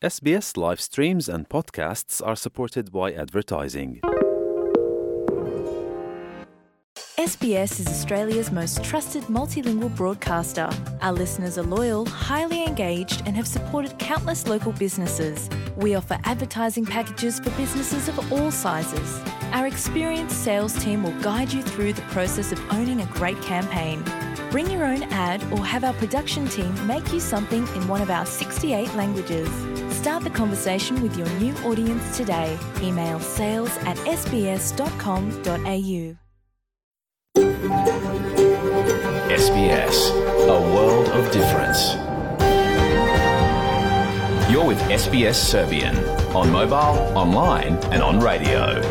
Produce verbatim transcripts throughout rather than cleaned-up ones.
S B S live streams and podcasts are supported by advertising. S B S is Australia's most trusted multilingual broadcaster. Our listeners are loyal, highly engaged, and have supported countless local businesses. We offer advertising packages for businesses of all sizes. Our experienced sales team will guide you through the process of owning a great campaign. Bring your own ad or have our production team make you something in one of our sixty-eight languages. Start the conversation with your new audience today. Email sales at s b s dot com dot a u. S B S, a world of difference. You're with S B S Serbian, on mobile, online and on radio.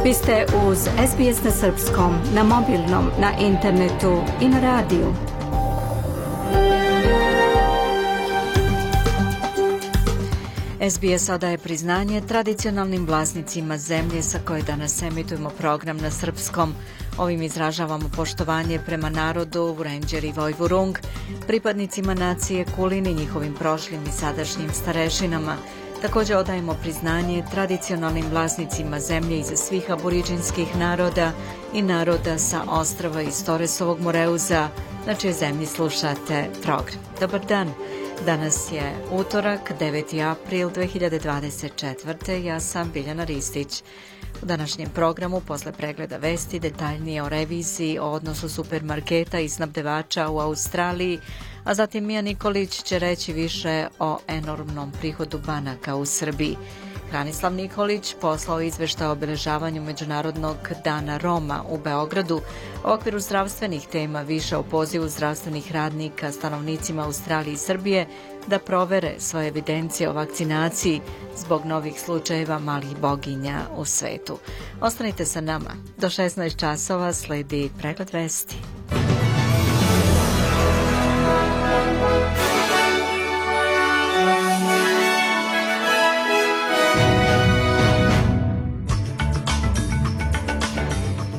Vi ste uz S B S na srpskom, na mobilnom, na internetu i na radiju. S B S odaje priznanje tradicionalnim vlasnicima zemlje sa koje danas emitujemo program na srpskom. Ovim izražavamo poštovanje prema narodu Vurenđer i Vojvurung, pripadnicima nacije Kulin i njihovim prošlim i sadašnjim starešinama. Također odajemo priznanje tradicionalnim vlasnicima zemlje iza svih aboriđinskih naroda i naroda sa ostrava iz Toresovog Moreuza, na čijoj zemlji slušate program. Dobar dan! Danas je utorak, deveti april dve hiljade dvadeset četvrte. Ja sam Biljana Ristić. U današnjem programu, posle pregleda vesti, detaljnije o reviziji, o odnosu supermarketa i snabdevača u Australiji, a zatim Mija Nikolić će reći više o enormnom prihodu banaka u Srbiji. Hranislav Nikolić poslao izveštaj o obeležavanju Međunarodnog dana Roma u Beogradu. U okviru zdravstvenih tema više o pozivu zdravstvenih radnika stanovnicima Australije i Srbije da provere svoje evidencije o vakcinaciji zbog novih slučajeva malih boginja u svetu. Ostanite sa nama. Do šesnaest časova sledi pregled vesti.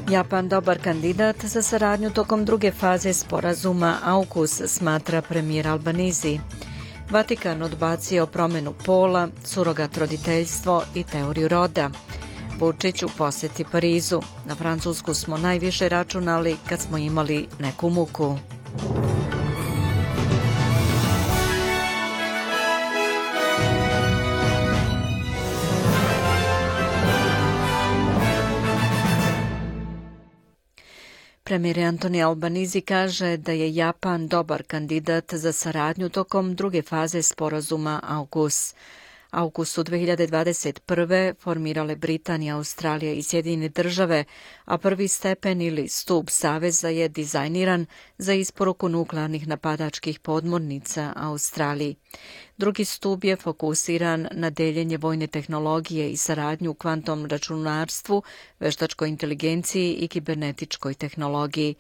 Japan dobar kandidat za saradnju tokom druge faze sporazuma AUKUS, smatra premijer Albanizi. Vatikan odbacio promjenu pola, surogat roditeljstvo i teoriju roda. Vučić u posjeti Parizu. Na Francusku smo najviše računali kad smo imali neku muku. Premijer Antoni Albanizi kaže da je Japan dobar kandidat za saradnju tokom druge faze sporazuma AUKUS. AUKUS su dve hiljade dvadeset prve formirale Britanija, Australija i Sjedinjene države, a prvi stepen ili stup saveza je dizajniran za isporuku nuklearnih napadačkih podmornica Australiji. Drugi stup je fokusiran na deljenje vojne tehnologije i saradnju u kvantnom računarstvu, veštačkoj inteligenciji i kibernetičkoj tehnologiji.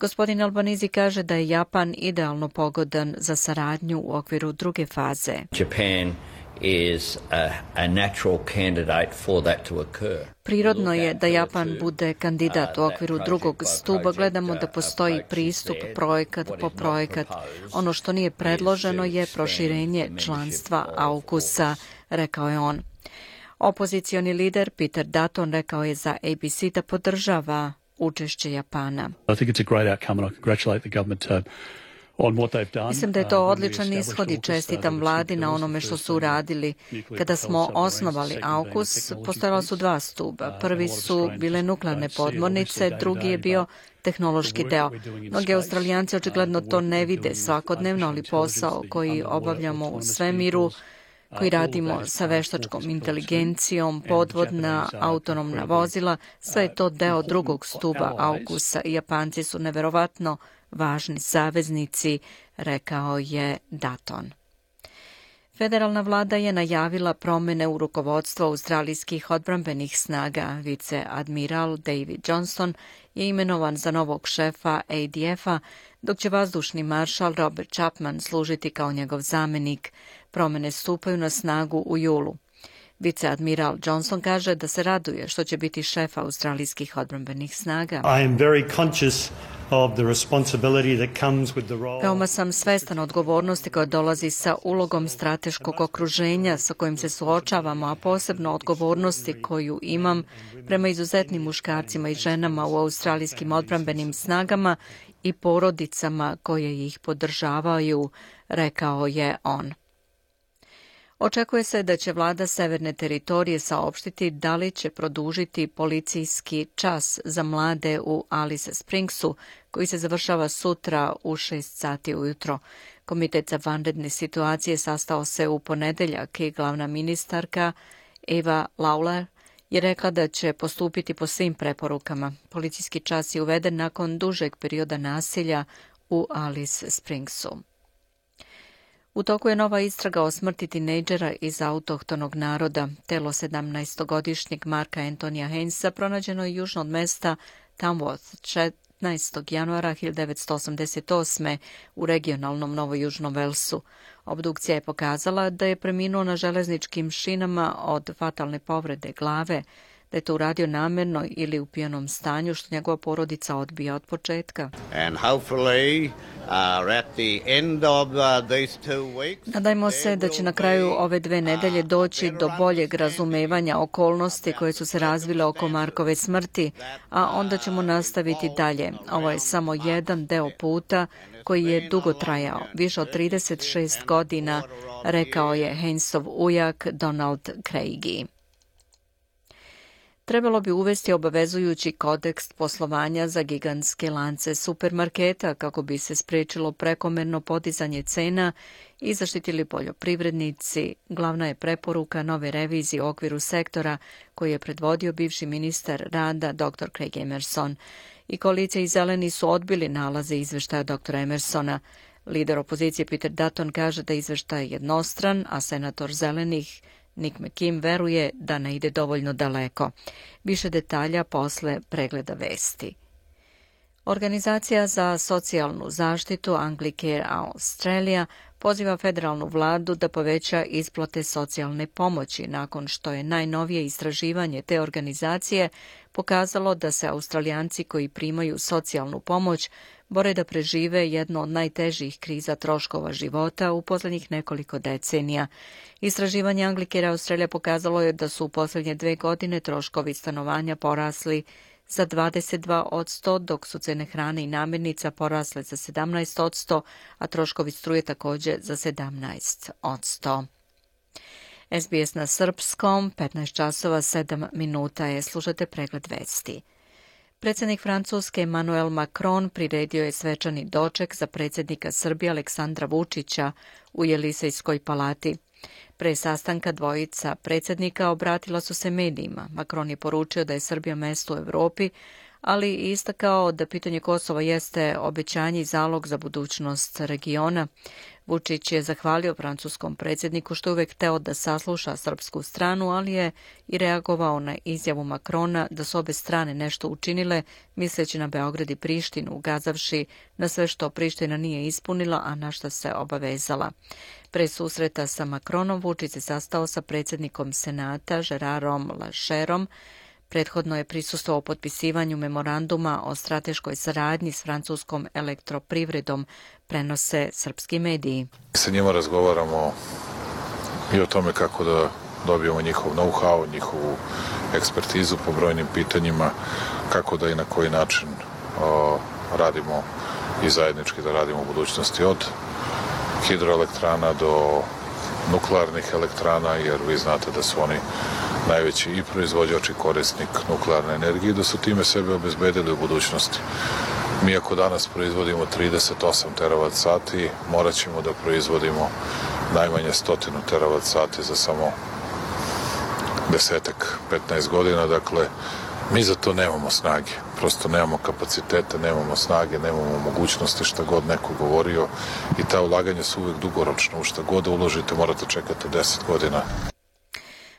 Gospodin Albanizi kaže da je Japan idealno pogodan za saradnju u okviru druge faze. Japan is a, a natural candidate for that to occur. Prirodno je da Japan bude kandidat u okviru drugog stuba. Gledamo da postoji pristup projekat po projekat. Ono što nije predloženo je proširenje članstva AUKUS-a, rekao je on. Opozicioni lider Peter Dutton rekao je za A B C da podržava učešće Japana. I think it's a great outcome and I congratulate the government uh, Mislim da je to odličan ishod i čestitam vladi na onome što su uradili. Kada smo osnovali AUKUS, postojala su dva stuba. Prvi su bile nuklearne podmornice, drugi je bio tehnološki deo. Mnogi Australijanci očigledno to ne vide svakodnevno, ali posao koji obavljamo u svemiru, koji radimo sa veštačkom inteligencijom, podvodna, autonomna vozila, sve je to deo drugog stuba AUKUS-a i Japanci su neverovatno važni saveznici, rekao je Dutton. Federalna vlada je najavila promjene u rukovodstvu australijskih odbrambenih snaga. Viceadmiral David Johnston je imenovan za novog šefa A D F-a, dok će vazdušni maršal Robert Chapman služiti kao njegov zamenik. Promjene stupaju na snagu u julu. Viceadmiral Johnson kaže da se raduje što će biti šef australijskih odbrambenih snaga. I am very conscious of the responsibility that comes with the role. Veoma sam svestan odgovornosti koja dolazi sa ulogom strateškog okruženja sa kojim se suočavamo, a posebno odgovornosti koju imam prema izuzetnim muškarcima i ženama u australijskim odbrambenim snagama i porodicama koje ih podržavaju, rekao je on. Očekuje se da će vlada Severne teritorije saopštiti da li će produžiti policijski čas za mlade u Alice Springsu, koji se završava sutra u šest sati ujutro. Komitet za vanredne situacije sastao se u ponedeljak i glavna ministarka Eva Lawler je rekla da će postupiti po svim preporukama. Policijski čas je uveden nakon dužeg perioda nasilja u Alice Springsu. U toku je nova istraga o smrti tinejdžera iz autohtonog naroda. Telo sedamnaestogodišnjeg Marka Antonija Hainesa pronađeno je južno od mesta Tamworth četrnaestog januara hiljadu devetsto osamdeset osme u regionalnom Novojužnom Velsu. Obdukcija je pokazala da je preminuo na železničkim šinama od fatalne povrede glave, da je to uradio namjerno ili u pijanom stanju, što njegova porodica odbija od početka. And hopefully uh, at the end of uh, these two weeks, Nadajmo se da će na kraju ove dve nedelje doći do boljeg razumevanja okolnosti koje su se razvile oko Markove smrti, a onda ćemo nastaviti dalje. Ovo je samo jedan deo puta koji je dugo trajao, više od trideset šest godina, rekao je Hainesov ujak Donald Craigie. Trebalo bi uvesti obavezujući kodeks poslovanja za gigantske lance supermarketa kako bi se spriječilo prekomerno podizanje cena i zaštitili poljoprivrednici. Glavna je preporuka nove revizije u okviru sektora koji je predvodio bivši ministar rada doktor Craig Emerson. I koalicija i zeleni su odbili nalaze izveštaja doktora Emersona. Lider opozicije Peter Dutton kaže da je izveštaj jednostran, a senator zelenih Nick McKim veruje da ne ide dovoljno daleko. Više detalja posle pregleda vesti. Organizacija za socijalnu zaštitu Anglicare Australia poziva federalnu vladu da poveća isplate socijalne pomoći nakon što je najnovije istraživanje te organizacije pokazalo da se Australijanci koji primaju socijalnu pomoć bore da prežive jedno od najtežih kriza troškova života u posljednjih nekoliko decenija. Istraživanje Anglicare Australia pokazalo je da su u posljednje dve godine troškovi stanovanja porasli za dvadeset dva posto, dok su cene hrane i namirnica porasle za sedamnaest posto, a troškovi struje također za sedamnaest posto. S B S na srpskom, petnaest časova sedam minuta je, slušate pregled vesti. Predsjednik Francuske Emmanuel Macron priredio je svečani doček za predsjednika Srbije Aleksandra Vučića u Jelisejskoj palati. Pre sastanka dvojica predsjednika obratila su se medijima. Macron je poručio da je Srbija mesto u Evropi, ali i istakao da pitanje Kosova jeste obećanje i zalog za budućnost regiona. Vučić je zahvalio francuskom predsjedniku što je uvek hteo da sasluša srpsku stranu, ali je i reagovao na izjavu Macrona da su obe strane nešto učinile, misleći na Beograd i Prištinu, ukazavši na sve što Priština nije ispunila, a na šta se obavezala. Pre susreta sa Macronom Vučić se sastao sa predsjednikom Senata Gerarom Lacherom. Prethodno je prisustvovao potpisivanju memoranduma o strateškoj saradnji s francuskom elektroprivredom, prenose srpski mediji. Sa njima razgovaramo i o tome kako da dobijemo njihov know-how, njihovu ekspertizu po brojnim pitanjima, kako da i na koji način o, radimo i zajednički da radimo u budućnosti od hidroelektrana do nuklearnih elektrana, jer vi znate da su oni najveći i proizvođač i korisnik nuklearne energije, da su time sebe obezbedili u budućnosti. Mi ako danas proizvodimo trideset osam teravat sati, morat ćemo da proizvodimo najmanje stotinu teravat sati za samo desetak, petnaest godina. Dakle, mi za to nemamo snage. Prosto nemamo kapacitete, nemamo snage, nemamo mogućnosti, šta god neko govorio, i ta ulaganja su uvek dugoročno. U šta god da uložite morate čekati deset godina.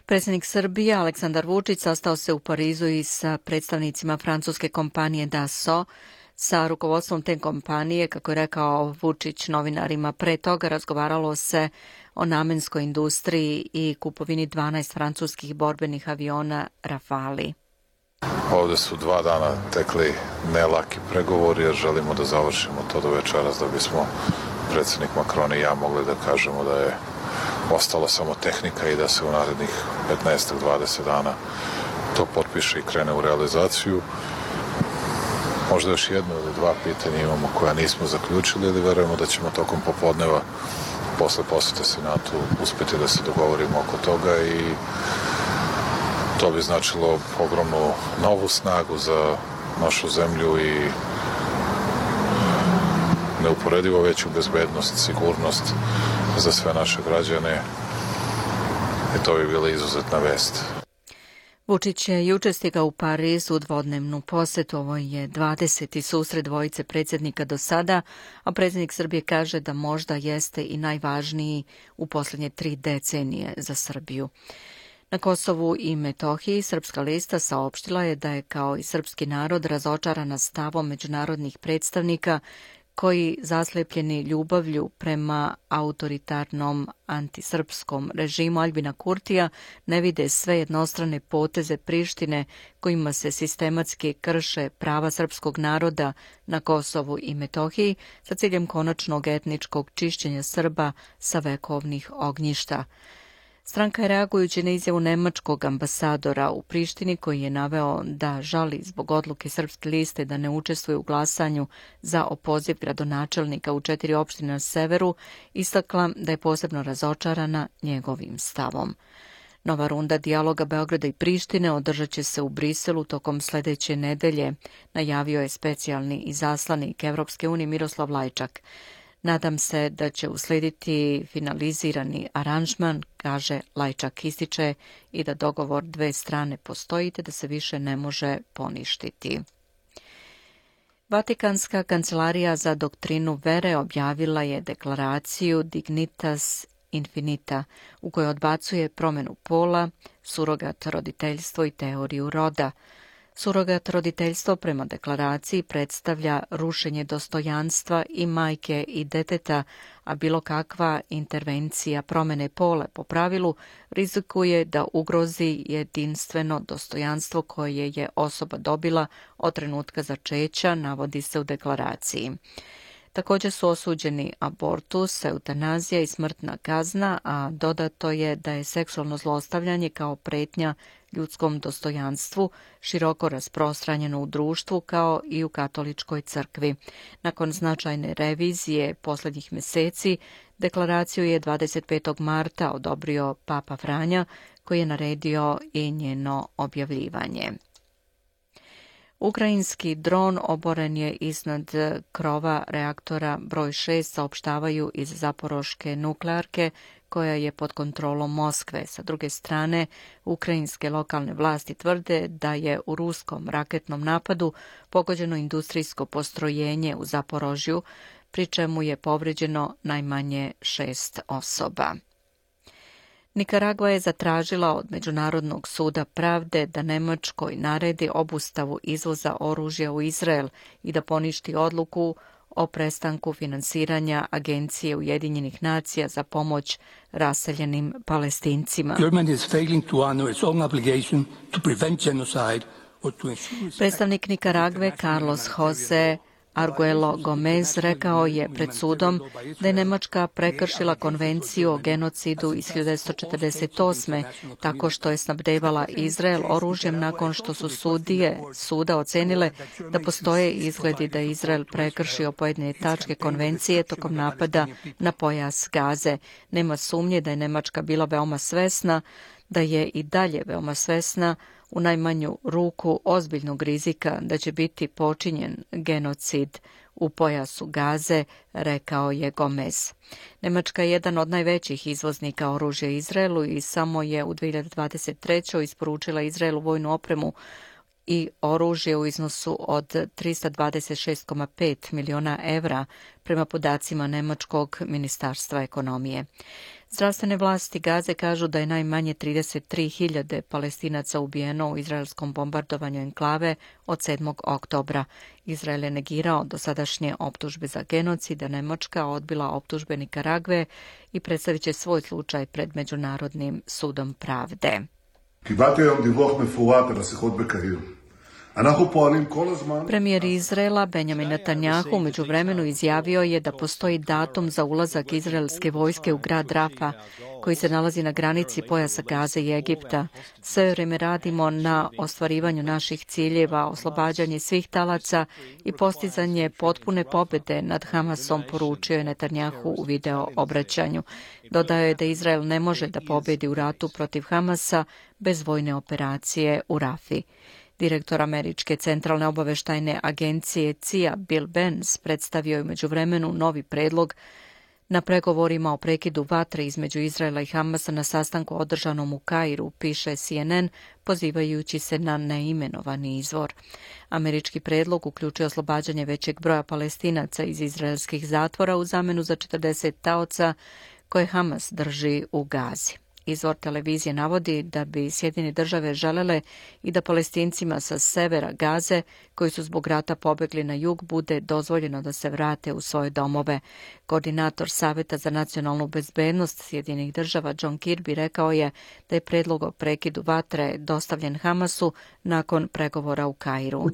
Predsjednik Srbije Aleksandar Vučić sastao se u Parizu i sa predstavnicima francuske kompanije Dassault. Sa rukovodstvom te kompanije, kako je rekao Vučić novinarima pre toga, razgovaralo se o namenskoj industriji i kupovini dvanaest francuskih borbenih aviona Rafali. Ovde su dva dana tekli nelaki pregovori, jer želimo da završimo to do večeras da bismo predsjednik Macron i ja mogli da kažemo da je ostala samo tehnika i da se u narednih petnaest do dvadeset dana to potpiše i krene u realizaciju. Možda još jedno ili dva pitanja imamo koja nismo zaključili, ili verujemo da ćemo tokom popodneva posle posete Senatu uspeti da se dogovorimo oko toga i to bi značilo ogromnu novu snagu za našu zemlju i neuporedivo veću bezbednost, sigurnost za sve naše građane i to bi bila izuzetna vest. Vučić je juče stigao u Pariz u dvodnevnu posetu. Ovo je dvadeseti susret dvojice predsjednika do sada, a predsjednik Srbije kaže da možda jeste i najvažniji u posljednje tri decenije za Srbiju. Na Kosovu i Metohiji Srpska lista saopštila je da je kao i srpski narod razočarana stavom međunarodnih predstavnika koji, zaslepljeni ljubavlju prema autoritarnom antisrpskom režimu Aljbina Kurtija, ne vide sve jednostrane poteze Prištine kojima se sistematski krše prava srpskog naroda na Kosovu i Metohiji sa ciljem konačnog etničkog čišćenja Srba sa vekovnih ognjišta. Stranka je, reagujući na izjavu nemačkog ambasadora u Prištini, koji je naveo da žali zbog odluke Srpske liste da ne učestvuje u glasanju za opoziv gradonačelnika u četiri opštine na severu, istakla da je posebno razočarana njegovim stavom. Nova runda dijaloga Beograda i Prištine održat će se u Briselu tokom sledeće nedelje, najavio je specijalni izaslanik Evropske unije Miroslav Lajčak. Nadam se da će uslediti finalizirani aranžman, kaže Lajčak, ističe i da dogovor dve strane postoji te da se više ne može poništiti. Vatikanska kancelarija za doktrinu vere objavila je deklaraciju Dignitas Infinita, u kojoj odbacuje promjenu pola, surogat roditeljstvo i teoriju roda. Surogat roditeljstvo prema deklaraciji predstavlja rušenje dostojanstva i majke i deteta, a bilo kakva intervencija promjene pola po pravilu rizikuje da ugrozi jedinstveno dostojanstvo koje je osoba dobila od trenutka začeća, navodi se u deklaraciji. Također su osuđeni abortus, eutanazija i smrtna kazna, a dodato je da je seksualno zlostavljanje kao pretnja ljudskom dostojanstvu široko rasprostranjeno u društvu kao i u katoličkoj crkvi. Nakon značajne revizije posljednjih mjeseci, deklaraciju je dvadeset petog marta odobrio Papa Franja, koji je naredio i njeno objavljivanje. Ukrajinski dron oboren je iznad krova reaktora broj šest, saopštavaju iz Zaporoške nuklearke, koja je pod kontrolom Moskve. Sa druge strane, ukrajinske lokalne vlasti tvrde da je u ruskom raketnom napadu pogođeno industrijsko postrojenje u Zaporožju, pri čemu je povređeno najmanje šest osoba. Nikaragva je zatražila od Međunarodnog suda pravde da Nemačkoj naredi obustavu izvoza oružja u Izrael i da poništi odluku o prestanku finansiranja Agencije Ujedinjenih nacija za pomoć raseljenim Palestincima. Predstavnik Nikaragve Carlos Jose Arguello Gomez rekao je pred sudom da je Nemačka prekršila konvenciju o genocidu iz hiljadu devetsto četrdeset osme tako što je snabdevala Izrael oružjem nakon što su sudije suda ocenile da postoje izgledi da je Izrael prekršio pojedine tačke konvencije tokom napada na pojas Gaze. Nema sumnje da je Nemačka bila veoma svesna, da je i dalje veoma svesna u najmanju ruku ozbiljnog rizika da će biti počinjen genocid u pojasu Gaze, rekao je Gomez. Nemačka je jedan od najvećih izvoznika oružja Izraelu i samo je u dve hiljade dvadeset trećoj isporučila Izraelu vojnu opremu i oružje u iznosu od trista dvadeset šest zarez pet miliona evra prema podacima Nemačkog ministarstva ekonomije. Zdravstvene vlasti Gaze kažu da je najmanje trideset tri hiljade Palestinaca ubijeno u izraelskom bombardovanju enklave od sedmog oktobra. Izrael je negirao dosadašnje optužbe za genocid, a Nemačka odbila optužbe Nikaragve i predstavit će svoj slučaj pred Međunarodnim sudom pravde. Premijer Izraela Benjamin Netanjahu u međuvremenu izjavio je da postoji datum za ulazak izraelske vojske u grad Rafa, koji se nalazi na granici pojasa Gaze i Egipta. Sve vreme radimo na ostvarivanju naših ciljeva, oslobađanje svih talaca i postizanje potpune pobjede nad Hamasom, poručio je Netanjahu u video obraćanju. Dodao je da Izrael ne može da pobjedi u ratu protiv Hamasa bez vojne operacije u Rafi. Direktor Američke centralne obaveštajne agencije C I A Bill Benz predstavio je u međuvremenu novi predlog na pregovorima o prekidu vatre između Izraela i Hamasa na sastanku održanom u Kairu, piše C N N, pozivajući se na neimenovani izvor. Američki predlog uključuje oslobađanje većeg broja Palestinaca iz izraelskih zatvora u zamenu za četrdeset taoca koje Hamas drži u Gazi. Izvor televizije navodi da bi Sjedinjene države želele i da Palestincima sa severa Gaze, koji su zbog rata pobegli na jug, bude dozvoljeno da se vrate u svoje domove. Koordinator Saveta za nacionalnu bezbednost Sjedinjenih država John Kirby rekao je da je predlog o prekidu vatre dostavljen Hamasu nakon pregovora u Kairu.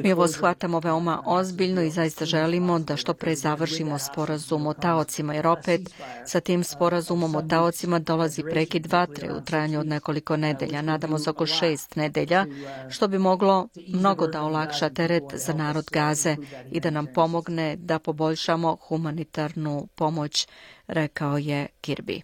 Mi ovo shvatamo veoma ozbiljno i zaista želimo da što pre završimo sporazum o taocima, jer opet sa tim sporazumom o taocima dolazi prekid vatre u trajanju od nekoliko nedelja, nadamo se oko šest nedelja, što bi moglo mnogo da olakša teret za narod Gaze i da nam pomogne da poboljšamo humanitarnu pomoć, rekao je Kirby.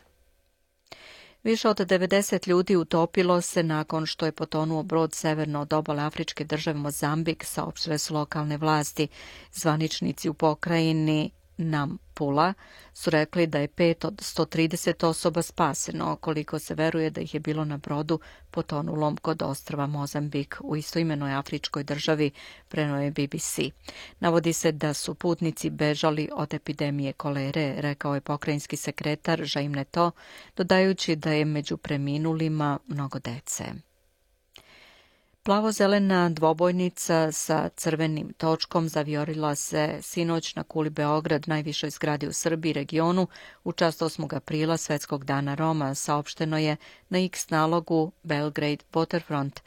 Više od devedeset ljudi utopilo se nakon što je potonuo brod severno od obale afričke države Mozambik, saopštile su lokalne vlasti. Zvaničnici u pokrajini Nampula su rekli da je pet od sto trideset osoba spaseno, koliko se veruje da ih je bilo na brodu potonulom kod ostrva Mozambik u istoimenoj afričkoj državi, preneo je B B C. Navodi se da su putnici bežali od epidemije kolere, rekao je pokrajinski sekretar Jaime Neto, dodajući da je među preminulima mnogo dece. Plavo-zelena dvobojnica sa crvenim točkom zavijorila se sinoć na kuli Beograd, najvišoj zgradi u Srbiji i regionu, u čast osmog aprila Svetskog dana Roma, saopšteno je na X nalogu Belgrade Waterfront.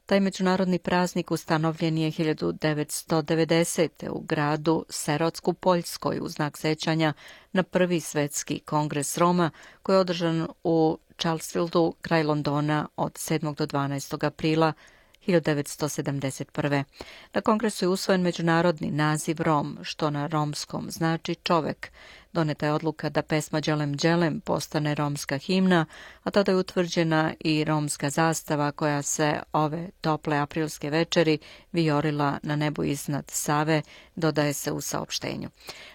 Taj međunarodni praznik ustanovljen je hiljadu devetsto devedesete. u gradu Serocku, Poljskoj, u znak sećanja na prvi svetski kongres Roma, koji je održan u Charlesfieldu, kraj Londona, od sedmog do dvanaestog aprila hiljadu devetsto sedamdeset prve. Na kongresu je usvojen međunarodni naziv Rom, što na romskom znači čovek. Doneta je odluka da pesma Đelem Đelem postane romska himna, a tada je utvrđena i romska zastava koja se ove tople aprilske večeri vijorila na nebu iznad Save, dodaje se u saopštenju.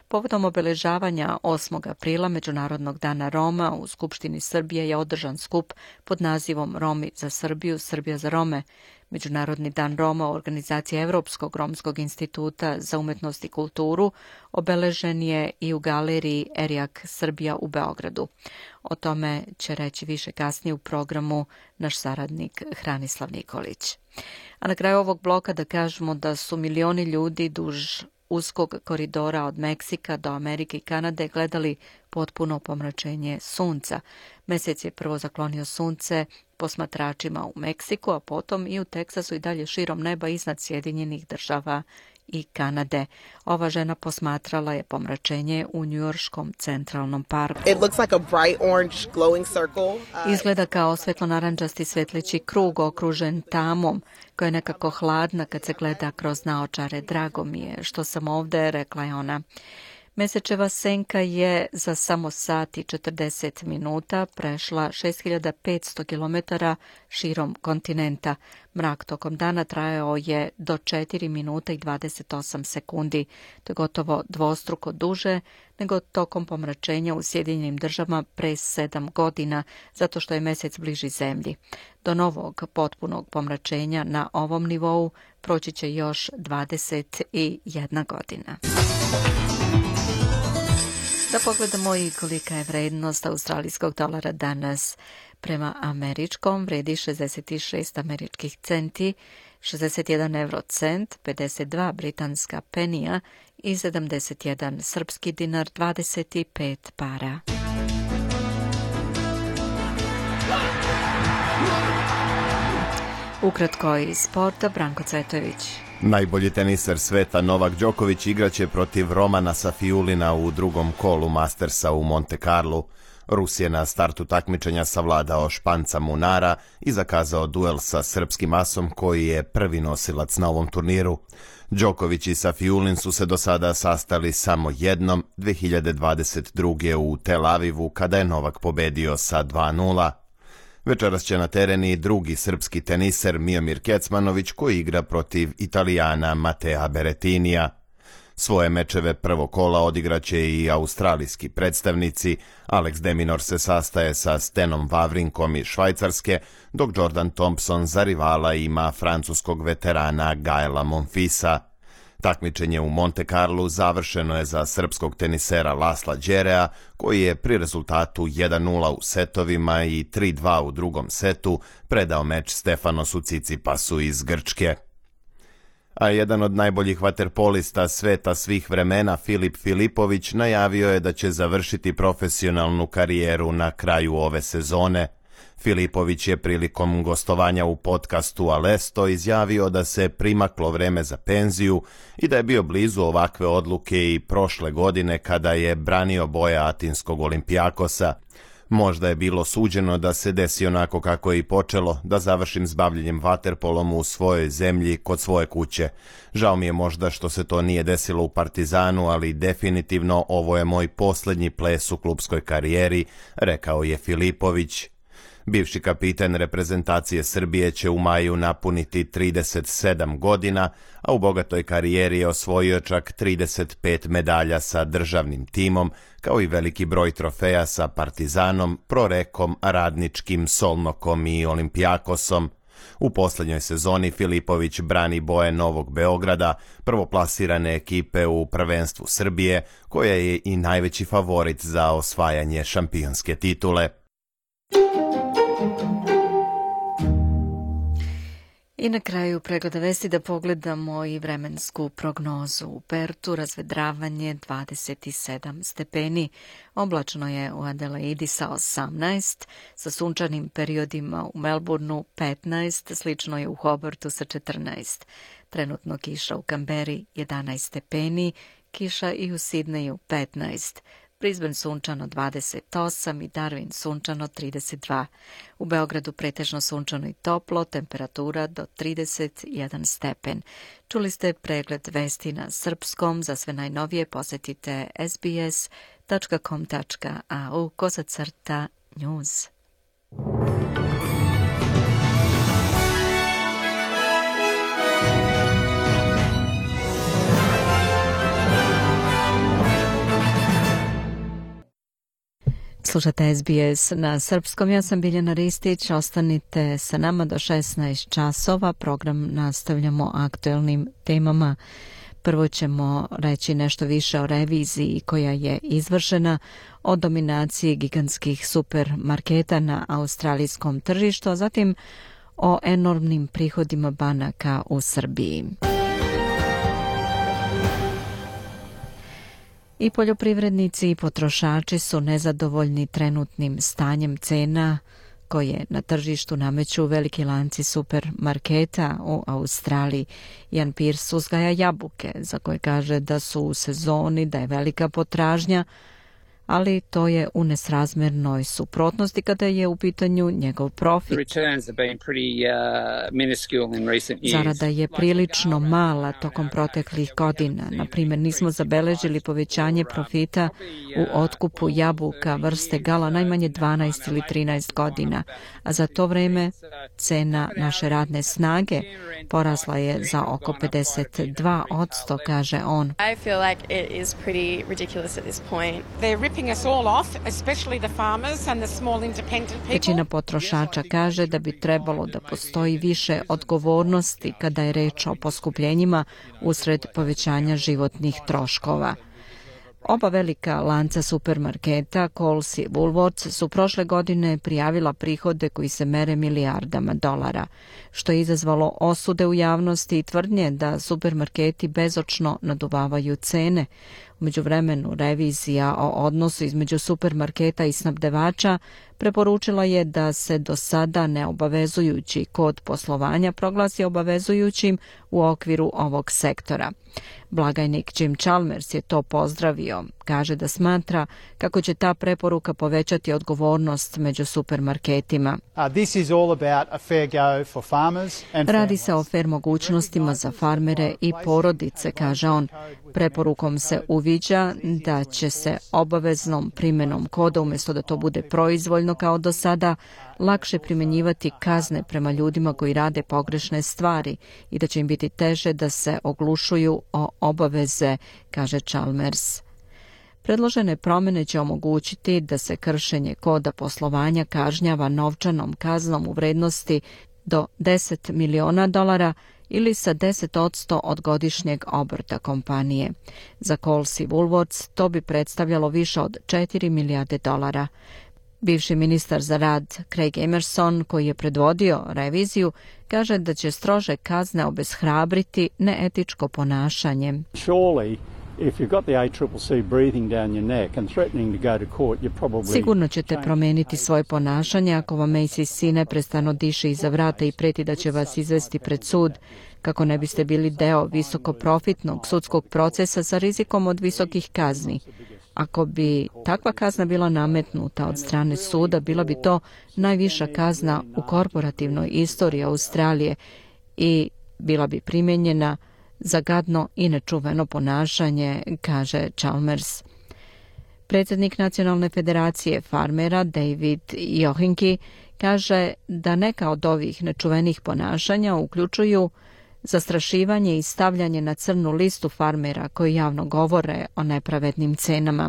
Povodom obeležavanja osmog aprila, Međunarodnog dana Roma, u Skupštini Srbije je održan skup pod nazivom Romi za Srbiju, Srbija za Rome. Međunarodni dan Roma u organizaciji Evropskog romskog instituta za umetnost i kulturu obeležen je i u galeriji Erijak Srbija u Beogradu. O tome će reći više kasnije u programu naš saradnik Hranislav Nikolić. A na kraju ovog bloka da kažemo da su milioni ljudi duž uskog koridora od Meksika do Amerike i Kanade gledali potpuno pomračenje sunca. Mesec je prvo zaklonio sunce posmatračima u Meksiku, a potom i u Teksasu i dalje širom neba iznad Sjedinjenih država i Kanade. Ova žena posmatrala je pomračenje u njujorškom centralnom parku. It looks like a bright orange glowing circle. Uh, Izgleda kao svetlo-naranđasti svetleći krug okružen tamom, koja je nekako hladna kad se gleda kroz naočare. Drago mi je što sam ovde, rekla je ona. Mesečeva senka je za samo sat i četrdeset minuta prešla šest hiljada petsto kilometara širom kontinenta. Mrak tokom dana trajao je do četiri minuta i dvadeset osam sekundi. To je gotovo dvostruko duže nego tokom pomračenja u Sjedinjenim državama pre sedam godina, zato što je mesec bliži zemlji. Do novog potpunog pomračenja na ovom nivou proći će još dvadeset jedna godina. Da pogledamo i kolika je vrednost australijskog dolara danas. Prema američkom vredi šezdeset šest američkih centi, šezdeset jedan euro cent, pedeset dva britanska penija i sedamdeset jedan srpski dinar, dvadeset pet para. Ukratko iz sporta, Branko Cvetović. Najbolji teniser sveta Novak Đoković igraće protiv Romana Safiulina u drugom kolu Mastersa u Monte Carlu. Rus je na startu takmičenja savladao Španca Munara i zakazao duel sa srpskim asom koji je prvi nosilac na ovom turniru. Đoković i Safiulin su se do sada sastali samo jednom dve hiljade dvadeset druge. u Tel Avivu kada je Novak pobedio sa dva nula. Večeras će na teren i drugi srpski teniser Miomir Kecmanović koji igra protiv Italijana Matea Berettinija. Svoje mečeve prvog kola odigraće i australijski predstavnici. Alex de Minaur se sastaje sa Stenom Wawrinkom iz Švajcarske, dok Jordan Thompson za rivala ima francuskog veterana Gaela Monfilsa. Takmičenje u Monte Carlu završeno je za srpskog tenisera Lasla Đerea, koji je pri rezultatu jedan nula u setovima i tri dva u drugom setu predao meč Stefanosu Cicipasu iz Grčke. A jedan od najboljih vaterpolista sveta svih vremena, Filip Filipović, najavio je da će završiti profesionalnu karijeru na kraju ove sezone. Filipović je prilikom gostovanja u podcastu Alesto izjavio da se primaklo vreme za penziju i da je bio blizu ovakve odluke i prošle godine kada je branio boje atinskog Olimpijakosa. Možda je bilo suđeno da se desi onako kako je i počelo, da završim s bavljenjem vaterpolom u svojoj zemlji kod svoje kuće. Žao mi je možda što se to nije desilo u Partizanu, ali definitivno ovo je moj posljednji ples u klupskoj karijeri, rekao je Filipović. Bivši kapiten reprezentacije Srbije će u maju napuniti trideset sedam godina, a u bogatoj karijeri je osvojio čak trideset pet medalja sa državnim timom, kao i veliki broj trofeja sa Partizanom, Prorekom, Radničkim, Solnokom i Olimpijakosom. U posljednjoj sezoni Filipović brani boje Novog Beograda, prvoplasirane ekipe u prvenstvu Srbije, koja je i najveći favorit za osvajanje šampionske titule. I na kraju pregleda vesti da pogledamo i vremensku prognozu. U Pertu razvedravanje dvadeset sedam stepeni, oblačno je u Adelaidi sa osamnaest, sa sunčanim periodima u Melbourneu petnaest, slično je u Hobartu sa četrnaest. Trenutno kiša u Kamberi jedanaest stepeni, kiša i u Sidneju petnaest. Brisbane sunčano dvadeset osam i Darwin sunčano trideset dva. U Beogradu pretežno sunčano i toplo, temperatura do trideset jedan stepen. Čuli ste pregled vesti na srpskom, za sve najnovije posetite es be es tačka com tačka a u kosacrta news. Slušate es be es na srpskom, ja sam Biljana Ristić, ostanite sa nama do šesnaest časova, program nastavljamo aktuelnim temama. Prvo ćemo reći nešto više o reviziji koja je izvršena, o dominaciji gigantskih supermarketa na australijskom tržištu, a zatim o enormnim prihodima banaka u Srbiji. I poljoprivrednici i potrošači su nezadovoljni trenutnim stanjem cena koje na tržištu nameću veliki lanci supermarketa u Australiji. Jan Pirs uzgaja jabuke, za koje kaže da su u sezoni, da je velika potražnja, ali to je u nesrazmernoj suprotnosti kada je u pitanju njegov profit. Zarada je prilično mala tokom proteklih godina. Na primjer, nismo zabeležili povećanje profita u otkupu jabuka vrste Gala najmanje dvanaest ili trinaest godina, a za to vreme cena naše radne snage porasla je za oko pedeset dva posto, kaže on. I feel like it is pretty ridiculous at this point. Većina potrošača kaže da bi trebalo da postoji više odgovornosti kada je reč o poskupljenjima usred povećanja životnih troškova. Oba velika lanca supermarketa, Coles i Woolworths, su prošle godine prijavila prihode koji se mere milijardama dolara, što je izazvalo osude u javnosti i tvrdnje da supermarketi bezočno naduvavaju cene. U međuvremenu, revizija o odnosu između supermarketa i snabdevača preporučila je da se do sada neobavezujući kod poslovanja proglasi obavezujućim u okviru ovog sektora. Blagajnik Jim Chalmers je to pozdravio. Kaže da smatra kako će ta preporuka povećati odgovornost među supermarketima. Radi se o fer mogućnostima za farmere i porodice, kaže on. Preporukom se uviđa da će se obaveznom primjenom koda, umjesto da to bude proizvoljno kao do sada, lakše primjenjivati kazne prema ljudima koji rade pogrešne stvari i da će im biti teže da se oglušuju o obaveze, kaže Chalmers. Predložene promjene će omogućiti da se kršenje koda poslovanja kažnjava novčanom kaznom u vrednosti do deset miliona dolara ili sa deset posto od godišnjeg obrta kompanije. Za Coles i Woolworths to bi predstavljalo više od četiri milijarde dolara. Bivši ministar za rad Craig Emerson, koji je predvodio reviziju, kaže da će strože kazne obeshrabriti neetičko ponašanje. Sigurno ćete promijeniti svoje ponašanje ako vam A C C neprestano diše iza vrata i preti da će vas izvesti pred sud, kako ne biste bili deo visokoprofitnog sudskog procesa sa rizikom od visokih kazni. Ako bi takva kazna bila nametnuta od strane suda, bila bi to najviša kazna u korporativnoj istoriji Australije i bila bi primijenjena za gadno i nečuveno ponašanje, kaže Chalmers. Predsjednik Nacionalne federacije farmera David Johinki kaže da neka od ovih nečuvenih ponašanja uključuju zastrašivanje i stavljanje na crnu listu farmera koji javno govore o nepravednim cenama.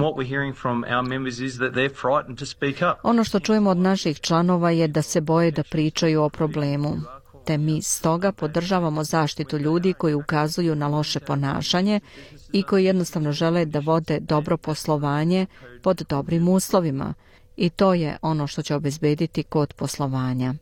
Ono što čujemo od naših članova je da se boje da pričaju o problemu. Te mi stoga podržavamo zaštitu ljudi koji ukazuju na loše ponašanje i koji jednostavno žele da vode dobro poslovanje pod dobrim uslovima. I to je ono što će obezbediti kod poslovanja.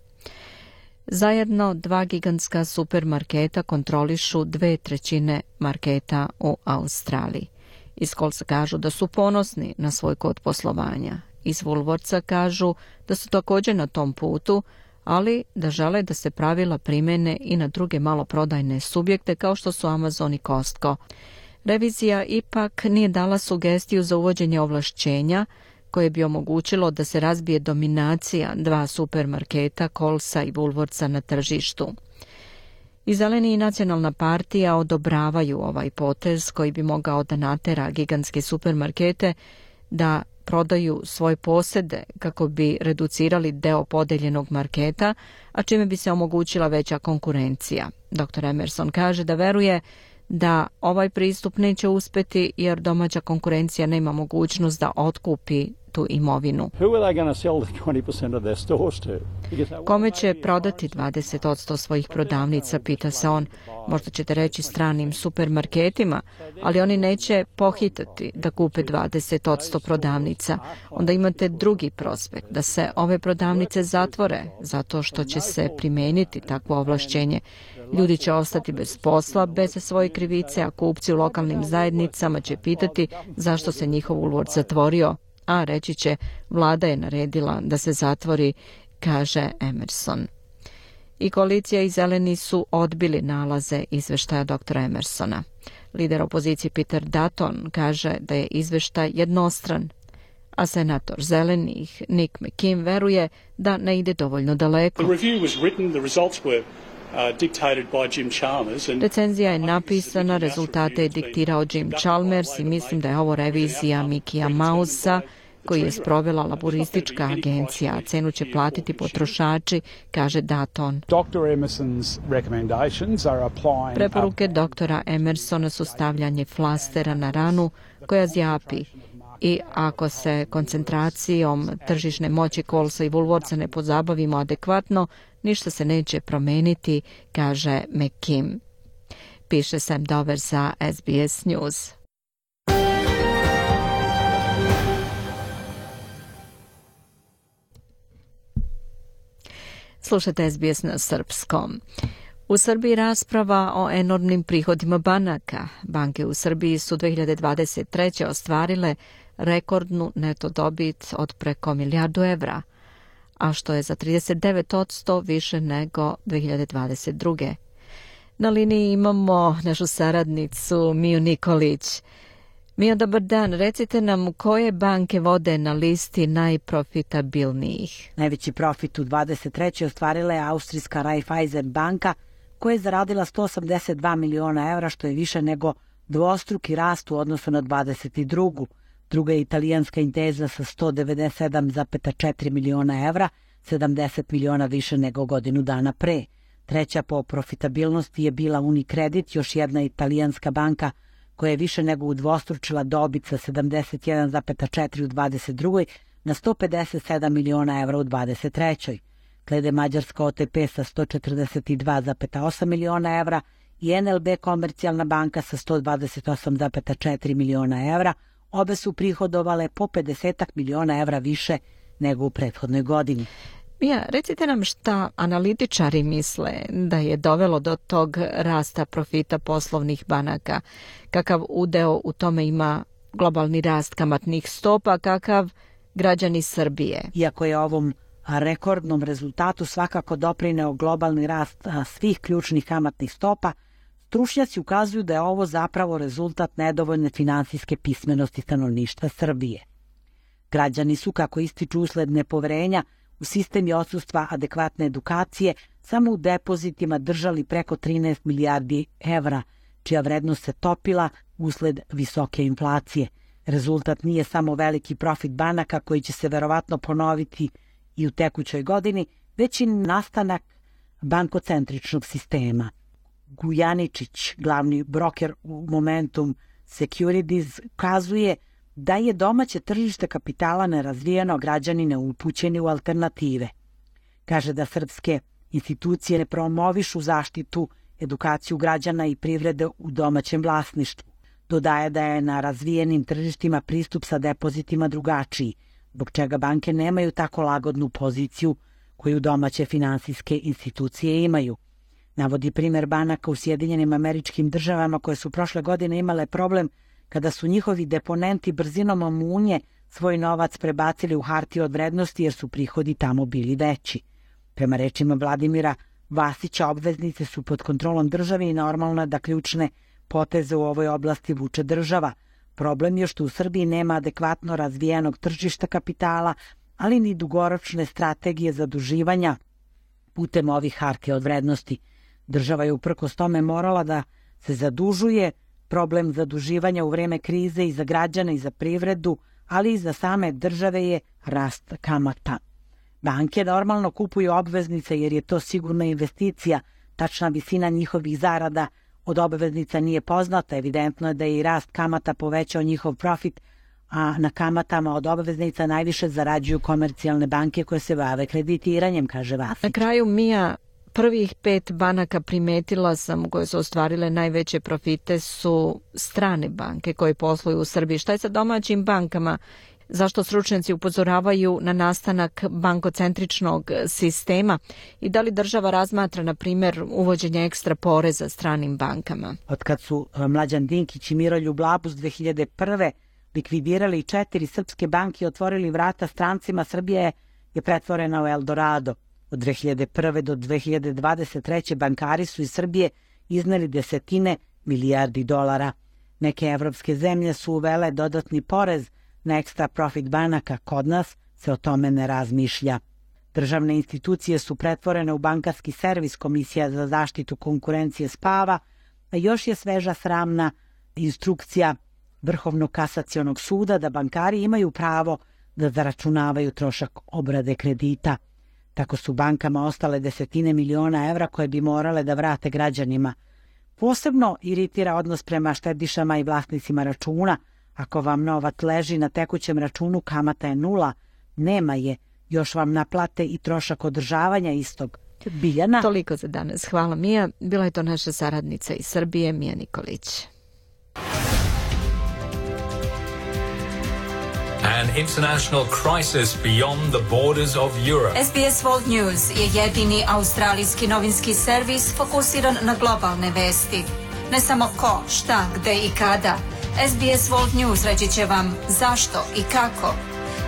Zajedno dva gigantska supermarketa kontrolišu dve trećine marketa u Australiji. Iz Colesa kažu da su ponosni na svoj kod poslovanja. Iz Woolworthsa kažu da su također na tom putu, ali da žele da se pravila primene i na druge maloprodajne subjekte kao što su Amazon i Costco. Revizija ipak nije dala sugestiju za uvođenje ovlašćenja koje bi omogućilo da se razbije dominacija dva supermarketa Colesa i Woolworthsa na tržištu. I Zeleni i Nacionalna partija odobravaju ovaj potez koji bi mogao da natera gigantske supermarkete da prodaju svoje posede kako bi reducirali deo podeljenog marketa, a čime bi se omogućila veća konkurencija. doktor Emerson kaže da veruje da ovaj pristup neće uspjeti jer domaća konkurencija nema mogućnost da otkupi tu imovinu. Kome će prodati dvadeset posto svojih prodavnica, pita se on. Možda ćete reći stranim supermarketima, ali oni neće pohitati da kupe dvadeset posto prodavnica. Onda imate drugi prospekt, da se ove prodavnice zatvore, zato što će se primijeniti takvo ovlašćenje. Ljudi će ostati bez posla, bez svoje krivice, a kupci u lokalnim zajednicama će pitati zašto se njihov Woolworth zatvorio, a reći će vlada je naredila da se zatvori, kaže Emerson. I koalicija i Zeleni su odbili nalaze izveštaja doktora Emersona. Lider opozicije Peter Dutton kaže da je izveštaj jednostran, a senator Zelenih Nick McKim veruje da ne ide dovoljno daleko. Recenzija je napisana, rezultate je diktirao Jim Chalmers i mislim da je ovo revizija Mickeyja Mousea koji je sprovela laboristička agencija, a cenu će platiti potrošači, kaže Dutton. Preporuke doktora Emersona su stavljanje flastera na ranu koja zjapi i ako se koncentracijom tržišne moći Colesa i Woolworthsa ne pozabavimo adekvatno, ništa se neće promeniti, kaže McKim. Piše Sam Dover za S B S News. Slušajte S B S na srpskom. U Srbiji rasprava o enormnim prihodima banaka. Banke u Srbiji su dve hiljade dvadeset treće. ostvarile rekordnu neto dobit od preko milijardu evra, a što je za trideset devet posto više nego dve hiljade dvadeset druge. Na liniji imamo našu saradnicu Miju Nikolić. Mija, dobar dan. Recite nam koje banke vode na listi najprofitabilnijih. Najveći profit u dvadeset trećoj ostvarila je austrijska Raiffeisen banka, koja je zaradila sto osamdeset dva miliona evra, što je više nego dvostruki rast u odnosu na dvadeset drugu. Druga je italijanska Intesa sa sto devedeset sedam zarez četiri miliona evra, sedamdeset miliona više nego godinu dana pre. Treća po profitabilnosti je bila Unicredit, još jedna italijanska banka koja je više nego udvostručila dobit sa sedamdeset jedan zarez četiri u dvadeset drugoj na sto pedeset sedam miliona evra u dvadeset trećoj. Slede mađarska O T P sa sto četrdeset dva zarez osam miliona evra i N L B Komercijalna banka sa sto dvadeset osam zarez četiri miliona evra. Obe su prihodovale po pedeset miliona evra više nego u prethodnoj godini. Mija, recite nam šta analitičari misle da je dovelo do tog rasta profita poslovnih banaka. Kakav udeo u tome ima globalni rast kamatnih stopa, kakav građani Srbije? Iako je ovom rekordnom rezultatu svakako doprineo globalni rast svih ključnih kamatnih stopa, stručnjaci ukazuju da je ovo zapravo rezultat nedovoljne finansijske pismenosti stanovništva Srbije. Građani su, kako ističu usled nepoverenja u sistem i odsustva adekvatne edukacije, samo u depozitima držali preko trinaest milijardi evra, čija vrednost se topila usled visoke inflacije. Rezultat nije samo veliki profit banaka koji će se verovatno ponoviti i u tekućoj godini, već i nastanak bankocentričnog sistema. Gujaničić, glavni broker u Momentum Securities, kazuje da je domaće tržište kapitala nerazvijeno, građani neupućeni u alternative. Kaže da srpske institucije ne promovišu zaštitu, edukaciju građana i privrede u domaćem vlasništvu. Dodaje da je na razvijenim tržištima pristup sa depozitima drugačiji, zbog čega banke nemaju tako lagodnu poziciju koju domaće finansijske institucije imaju. Navodi primjer banaka u Sjedinjenim Američkim Državama koje su prošle godine imale problem kada su njihovi deponenti brzinom munje svoj novac prebacili u hartije od vrednosti jer su prihodi tamo bili veći. Prema rečima Vladimira Vasića, obveznice su pod kontrolom države i normalno je da ključne poteze u ovoj oblasti vuče država. Problem je što u Srbiji nema adekvatno razvijenog tržišta kapitala, ali ni dugoročne strategije zaduživanja putem ovih hartija od vrednosti. Država je uprkos tome morala da se zadužuje. Problem zaduživanja u vreme krize i za građane i za privredu, ali i za same države je rast kamata. Banke normalno kupuju obveznice jer je to sigurna investicija. Tačna visina njihovih zarada od obveznica nije poznata. Evidentno je da je i rast kamata povećao njihov profit, a na kamatama od obveznica najviše zarađuju komercijalne banke koje se bave kreditiranjem, kaže Vasić. Na kraju, Mija, prvih pet banaka primetila sam koje su ostvarile najveće profite su strane banke koje posluju u Srbiji. Šta je sa domaćim bankama? Zašto stručnjaci upozoravaju na nastanak bankocentričnog sistema i da li država razmatra, na primjer, uvođenje ekstra poreza stranim bankama? Otkad su Mlađan Dinkić i Miroljub Labus dve hiljade prve likvidirali četiri srpske banke i otvorili vrata strancima, Srbija je pretvorena u Eldorado. Od dve hiljade prve do dve hiljade dvadeset treće bankari su iz Srbije izneli desetine milijardi dolara. Neke evropske zemlje su uvele dodatni porez na ekstra profit banaka, kod nas se o tome ne razmišlja. Državne institucije su pretvorene u bankarski servis, Komisija za zaštitu konkurencije spava, a još je sveža sramna instrukcija Vrhovnog kasacionog suda da bankari imaju pravo da zaračunavaju trošak obrade kredita. Tako su bankama ostale desetine miliona evra koje bi morale da vrate građanima. Posebno iritira odnos prema štedišama i vlasnicima računa. Ako vam novac leži na tekućem računu, kamata je nula, nema je, još vam naplate i trošak održavanja istog. Biljana. Toliko za danas. Hvala, Mija. Bila je to naša saradnica iz Srbije, Mija Nikolić. an international crisis beyond the borders of Europe. S B S World News je jedini australijski novinski servis fokusiran na globalne vesti. Ne samo ko, šta, gde i kada. S B S World News reći će vam zašto i kako.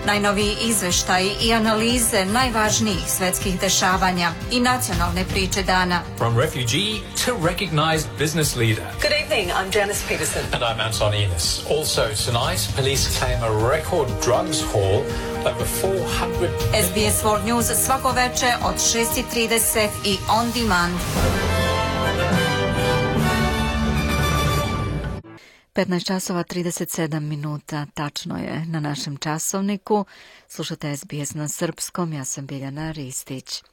Najnoviji izveštaji i analize najvažnijih svetskih dešavanja i nacionalne priče dana. From refugee to recognized business leader. Good evening, I'm Janice Peterson. And I'm Anton Enos. Also tonight, police claim a record drugs haul over four hundred... S B S World News svako veče od šest i trideset i on demand. petnaest časova trideset sedam minuta, tačno je na našem časovniku. Slušate S B S na srpskom, ja sam Biljana Ristić.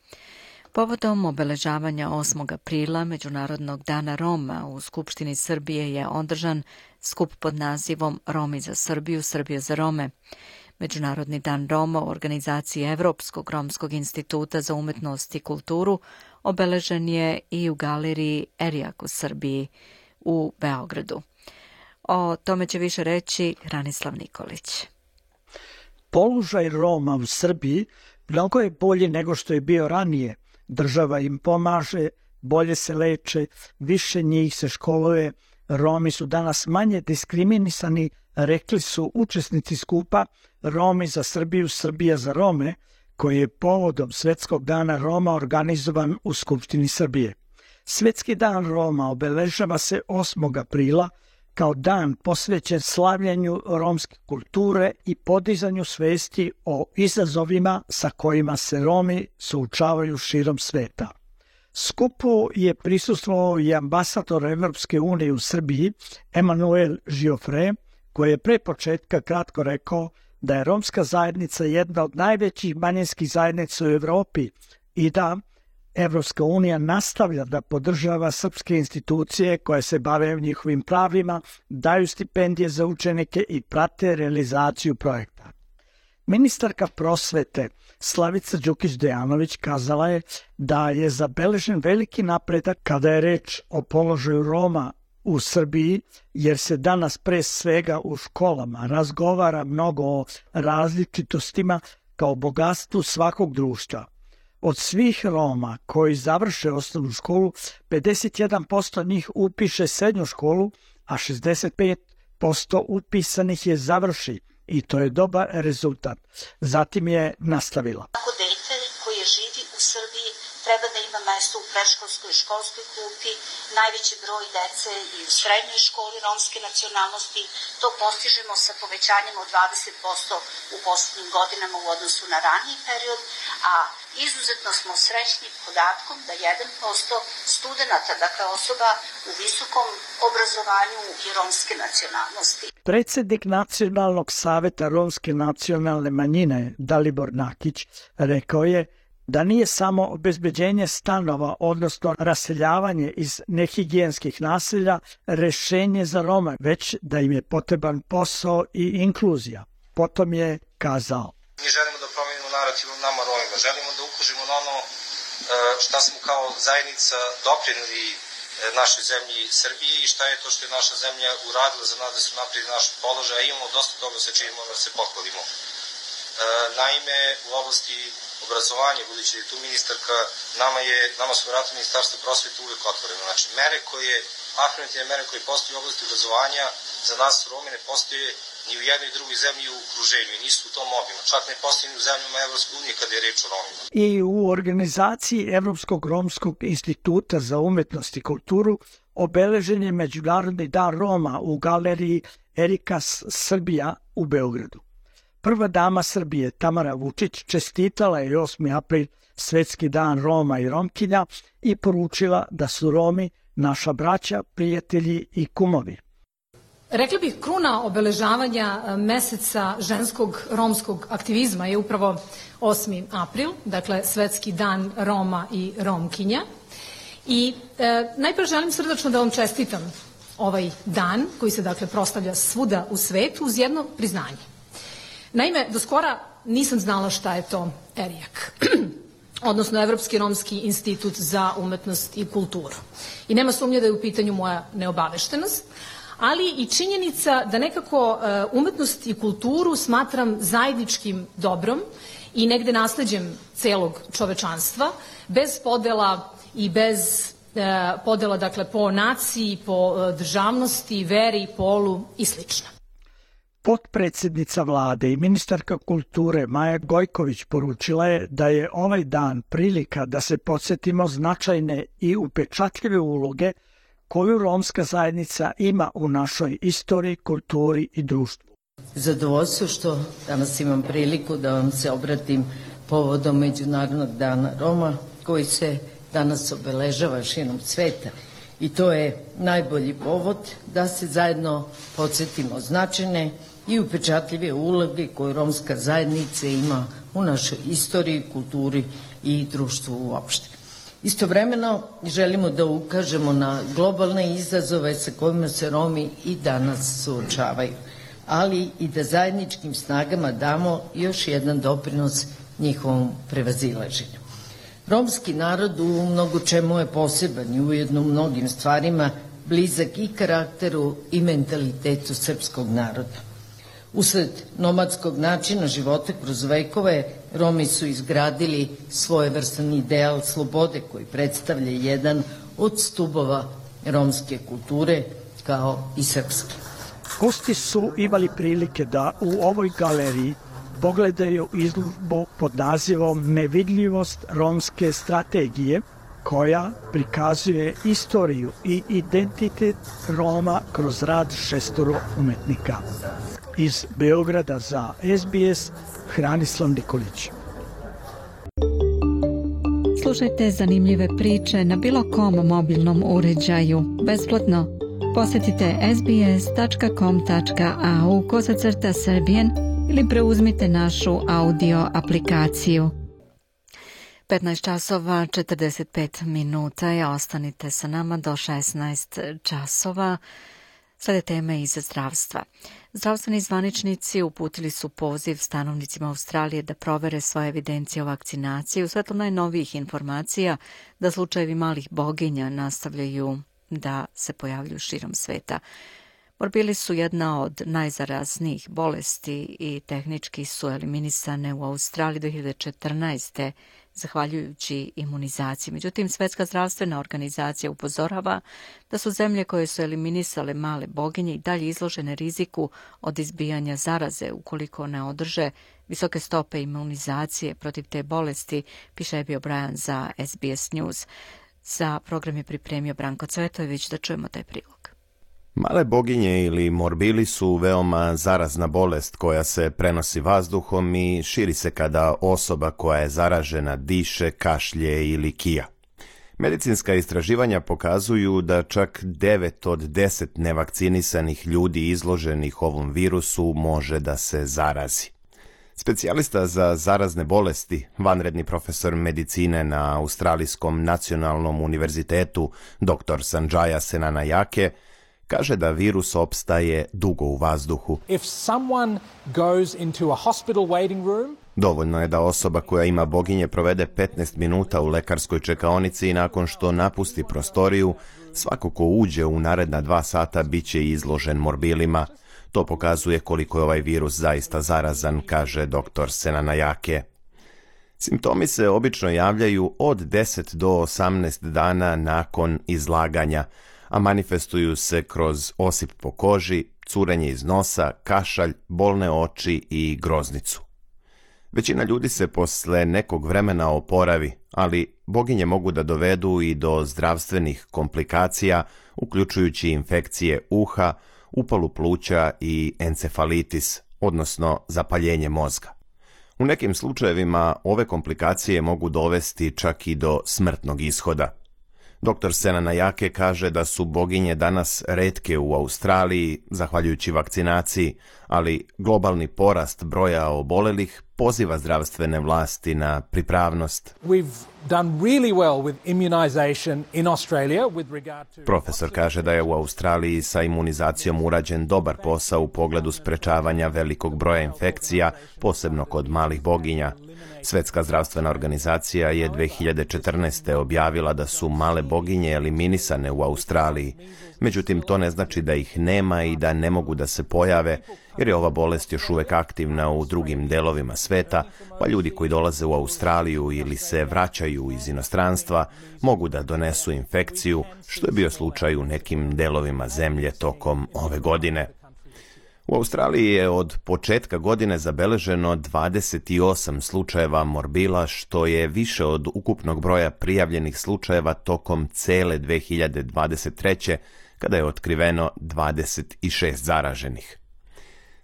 Povodom obeležavanja osmog aprila, Međunarodnog dana Roma, u Skupštini Srbije je održan skup pod nazivom Romi za Srbiju, Srbija za Rome. Međunarodni dan Roma u organizaciji Evropskog romskog instituta za umetnost i kulturu obeležen je i u galeriji Erijak u Srbiji u Beogradu. O tome će više reći Ranislav Nikolić. Položaj Roma u Srbiji mnogo je bolji nego što je bio ranije. Država im pomaže, bolje se leče, više njih se školuje. Romi su danas manje diskriminisani, rekli su učesnici skupa Romi za Srbiju, Srbija za Rome, koji je povodom Svetskog dana Roma organizovan u Skupštini Srbije. Svetski dan Roma obeležava se osmog aprila kao dan posvećen slavljanju romske kulture i podizanju svesti o izazovima sa kojima se Romi suočavaju širom sveta. Skupu je prisustvovao i ambasador Evropske unije u Srbiji, Emanuel Giofre, koji je pre početka kratko rekao da je romska zajednica jedna od najvećih manjinskih zajednica u Evropi i da Evropska unija nastavlja da podržava srpske institucije koje se bave njihovim pravima, daju stipendije za učenike i prate realizaciju projekta. Ministarka prosvete Slavica Đukić-Dejanović kazala je da je zabeležen veliki napredak kada je reč o položaju Roma u Srbiji, jer se danas pre svega u školama razgovara mnogo o različitostima kao bogatstvu svakog društva. Od svih Roma koji završe osnovnu školu, pedeset jedan posto njih upiše srednju školu, a šezdeset pet posto upisanih je završi i to je dobar rezultat. Zatim je nastavila. Ako dete koje živi u Srbiji treba da ima mesto u predškolskoj i školskoj klupi, najveći broj dece i u srednjoj školi romske nacionalnosti, to postižemo sa povećanjem od dvadeset posto u poslednjim godinama u odnosu na raniji period, a izuzetno smo srećni podatkom da jedan posto studenta, dakle osoba u visokom obrazovanju i romske nacionalnosti. Predsednik Nacionalnog saveta romske nacionalne manjine Dalibor Nakić rekao je da nije samo obezbeđenje stanova, odnosno raseljavanje iz nehigijenskih naselja, rešenje za Roma, već da im je potreban posao i inkluzija. Potom je kazao: Mi želimo da promenimo narativ u nama Romima, želimo da ukažemo na ono šta smo kao zajednica doprinili našoj zemlji Srbiji i šta je to što je naša zemlja uradila za nas da se napredi naš položaj, a imamo dosta toga sa čim moramo da se pohvalimo. Naime, u oblasti obrazovanja, budući da je tu ministarka, nama, je, nama su vrata Ministarstva prosvete uvijek otvoreno. Znači, mere koje, afirmativne mere koje postoje u oblasti obrazovanja, za nas Romi ne postoje ni u jednoj drugoj zemlji u okruženju i nisu u tom obimu. Čak ne postoje ni u zemljama Evropske unije kada je reč o Romima. I u organizaciji Evropskog romskog instituta za umetnost i kulturu obeležen je Međunarodni dan Roma u galeriji Erika Srbija u Beogradu. Prva dama Srbije, Tamara Vučić, čestitala je osmi april Svetski dan Roma i Romkinja i poručila da su Romi naša braća, prijatelji i kumovi. Rekla bih, kruna obeležavanja meseca ženskog romskog aktivizma je upravo osmi april, dakle Svetski dan Roma i Romkinja. I e, najpre želim srdačno da vam čestitam ovaj dan koji se dakle proslavlja svuda u svetu uz jedno priznanje. Naime, do skora nisam znala šta je to Erijak, odnosno Evropski romski institut za umetnost i kulturu. I nema sumnje da je u pitanju moja neobaveštenost, ali i činjenica da nekako umetnost i kulturu smatram zajedničkim dobrom i negde nasleđem celog čovečanstva, bez podela i bez podela, dakle, po naciji, po državnosti, veri, polu i slično. Potpredsjednica vlade i ministarka kulture Maja Gojković poručila je da je ovaj dan prilika da se podsjetimo značajne i upečatljive uloge koju romska zajednica ima u našoj istoriji, kulturi i društvu. Zadovoljstvo što danas imam priliku da vam se obratim povodom Međunarodnog dana Roma, koji se danas obeležava širom sveta. I to je najbolji povod da se zajedno podsjetimo značajne i upečatljive uloge koju romska zajednica ima u našoj istoriji, kulturi i društvu uopšte. Istovremeno želimo da ukažemo na globalne izazove sa kojima se Romi i danas suočavaju, ali i da zajedničkim snagama damo još jedan doprinos njihovom prevazilaženju. Romski narod u mnogo čemu je poseban i ujedno u mnogim stvarima blizak i karakteru i mentalitetu srpskog naroda. Usled nomadskog načina života kroz vekove, Romi su izgradili svojevrstan ideal slobode koji predstavlja jedan od stubova romske kulture, kao i srpske. Gosti su imali prilike da u ovoj galeriji pogledaju izložbu pod nazivom Nevidljivost romske strategije, koja prikazuje istoriju i identitet Roma kroz rad šestoro umetnika. Iz Beograda za S B S, Hranislav Nikolić. Slušajte zanimljive priče na bilo kom mobilnom uređaju, besplatno. Posjetite sbs tačka com tačka a u kosacrta Serbian ili preuzmite našu audio aplikaciju. petnaest časova četrdeset pet minuta i ostanite sa nama do šesnaest časova. Slede teme iz zdravstva. Zdravstveni zvaničnici uputili su poziv stanovnicima Australije da provere svoje evidencije o vakcinaciji u svetlu najnovijih informacija da slučajevi malih boginja nastavljaju da se pojavljuju širom sveta. Morbili su jedna od najzaraznijih bolesti i tehnički su eliminisane u Australiji do hiljade četrnaeste. zahvaljujući imunizaciji. Međutim, Svetska zdravstvena organizacija upozorava da su zemlje koje su eliminisale male boginje i dalje izložene riziku od izbijanja zaraze ukoliko ne održe visoke stope imunizacije protiv te bolesti, piše Abby O'Brien za S B S News. Za program je pripremio Branko Cvetojević, da čujemo taj prilog. Male boginje ili morbili su veoma zarazna bolest koja se prenosi vazduhom i širi se kada osoba koja je zaražena diše, kašlje ili kija. Medicinska istraživanja pokazuju da čak devet od deset nevakcinisanih ljudi izloženih ovom virusu može da se zarazi. Specijalista za zarazne bolesti, vanredni profesor medicine na Australijskom nacionalnom univerzitetu doktor Sanjaya Senanayake, kaže da virus opstaje dugo u vazduhu. If someone goes into a hospital waiting room, dovoljno je da osoba koja ima boginje provede petnaest minuta u lekarskoj čekaonici i nakon što napusti prostoriju, svako ko uđe u naredna dva sata bit će izložen morbilima. To pokazuje koliko je ovaj virus zaista zarazan, kaže doktor Senanayake. Simptomi se obično javljaju od deset do osamnaest dana nakon izlaganja, a manifestuju se kroz osip po koži, curenje iz nosa, kašalj, bolne oči i groznicu. Većina ljudi se posle nekog vremena oporavi, ali boginje mogu da dovedu i do zdravstvenih komplikacija, uključujući infekcije uha, upalu pluća i encefalitis, odnosno zapaljenje mozga. U nekim slučajevima ove komplikacije mogu dovesti čak i do smrtnog ishoda. doktor Senanayake kaže da su boginje danas retke u Australiji, zahvaljujući vakcinaciji, ali globalni porast broja obolelih poziva zdravstvene vlasti na pripravnost. We've done really well with immunization in Australia with regard to... Profesor kaže da je u Australiji sa imunizacijom urađen dobar posao u pogledu sprečavanja velikog broja infekcija, posebno kod malih boginja. Svetska zdravstvena organizacija je dve hiljade četrnaeste. objavila da su male boginje eliminisane u Australiji. Međutim, to ne znači da ih nema i da ne mogu da se pojave, jer je ova bolest još uvek aktivna u drugim delovima sveta, pa ljudi koji dolaze u Australiju ili se vraćaju iz inostranstva mogu da donesu infekciju, što je bio slučaj u nekim delovima zemlje tokom ove godine. U Australiji je od početka godine zabeleženo dvadeset osam slučajeva morbila, što je više od ukupnog broja prijavljenih slučajeva tokom cele dve hiljade dvadeset treće. kada je otkriveno dvadeset šest zaraženih.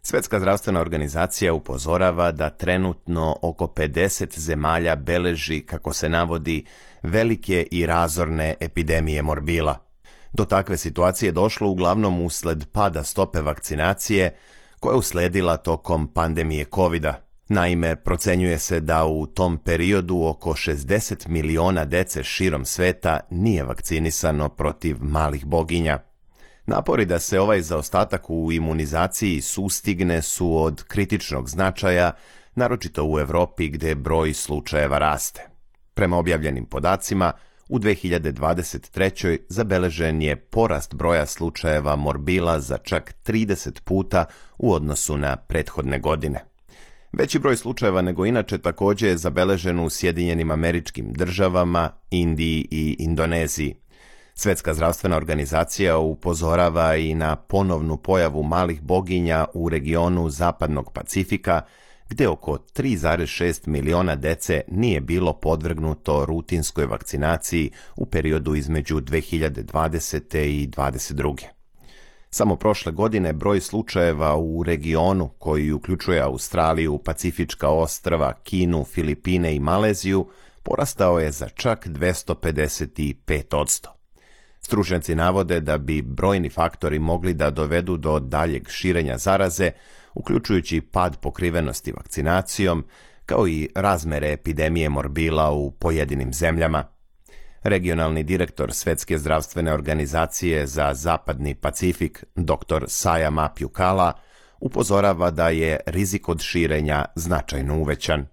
Svetska zdravstvena organizacija upozorava da trenutno oko pedeset zemalja beleži, kako se navodi, velike i razorne epidemije morbila. Do takve situacije došlo uglavnom usled pada stope vakcinacije, koja je usledila tokom pandemije kovida. Naime, procenjuje se da u tom periodu oko šezdeset miliona dece širom sveta nije vakcinisano protiv malih boginja. Napori da se ovaj zaostatak u imunizaciji sustigne su od kritičnog značaja, naročito u Evropi gde broj slučajeva raste. Prema objavljenim podacima, u dve hiljade dvadeset trećoj. zabeležen je porast broja slučajeva morbila za čak trideset puta u odnosu na prethodne godine. Veći broj slučajeva nego inače također je zabeležen u Sjedinjenim Američkim Državama, Indiji i Indoneziji. Svetska zdravstvena organizacija upozorava i na ponovnu pojavu malih boginja u regionu Zapadnog Pacifika, gde oko tri zarez šest miliona dece nije bilo podvrgnuto rutinskoj vakcinaciji u periodu između dve hiljade dvadesete. i dvadeset druge. Samo prošle godine broj slučajeva u regionu, koji uključuje Australiju, Pacifička ostrva, Kinu, Filipine i Maleziju, porastao je za čak dvesta pedeset pet posto. Stručnjaci navode da bi brojni faktori mogli da dovedu do daljeg širenja zaraze, uključujući pad pokrivenosti vakcinacijom, kao i razmere epidemije morbila u pojedinim zemljama. Regionalni direktor Svetske zdravstvene organizacije za Zapadni Pacifik, dr Saya Mapiukala, upozorava da je rizik od širenja značajno uvećan.